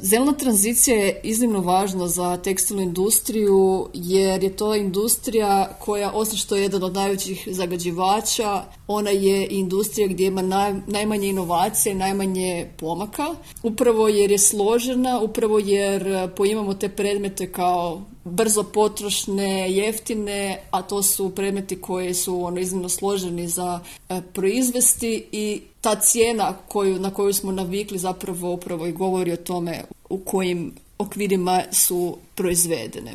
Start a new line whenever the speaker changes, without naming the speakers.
Zelena tranzicija je iznimno važna za tekstilnu industriju jer je to industrija koja, osim što je jedan od najvećih zagađivača, ona je industrija gdje ima najmanje inovacije, najmanje pomaka. Upravo jer je složena, upravo jer poimamo te predmete kao brzo potrošne, jeftine, a to su predmeti koji su iznimno složeni za proizvesti i ta cijena na koju smo navikli zapravo upravo i govori o tome u kojim okvirima su proizvedene.